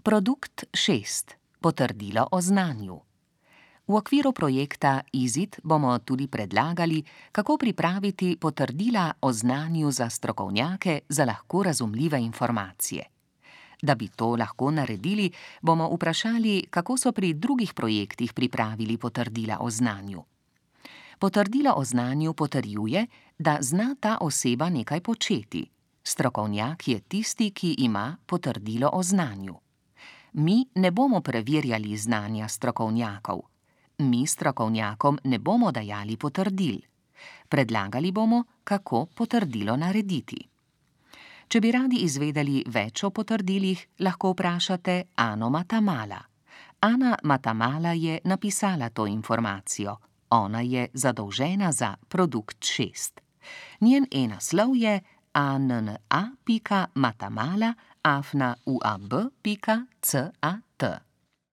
Produkt 6. Potrdilo o znanju. V okviru projekta IZIT bomo tudi predlagali, kako pripraviti potrdila o znanju za strokovnjake za lahko razumljive informacije. Da bi to lahko naredili, bomo vprašali, kako so pri drugih projektih pripravili potrdila o znanju. Potrdilo o znanju potrjuje, da zna ta oseba nekaj početi. Strokovnjak je tisti, ki ima potrdilo o znanju. Mi ne bomo preverjali znanja strokovnjakov. Mi strokovnjakom ne bomo dajali potrdil. Predlagali bomo, kako potrdilo narediti. Če bi radi izvedeli več o potrdilih, lahko vprašate Ano Matamala. Ana Matamala je napisala to informacijo. Ona je zadolžena za produkt 6. Njen e-naslov je anna.matamala@uab.cat.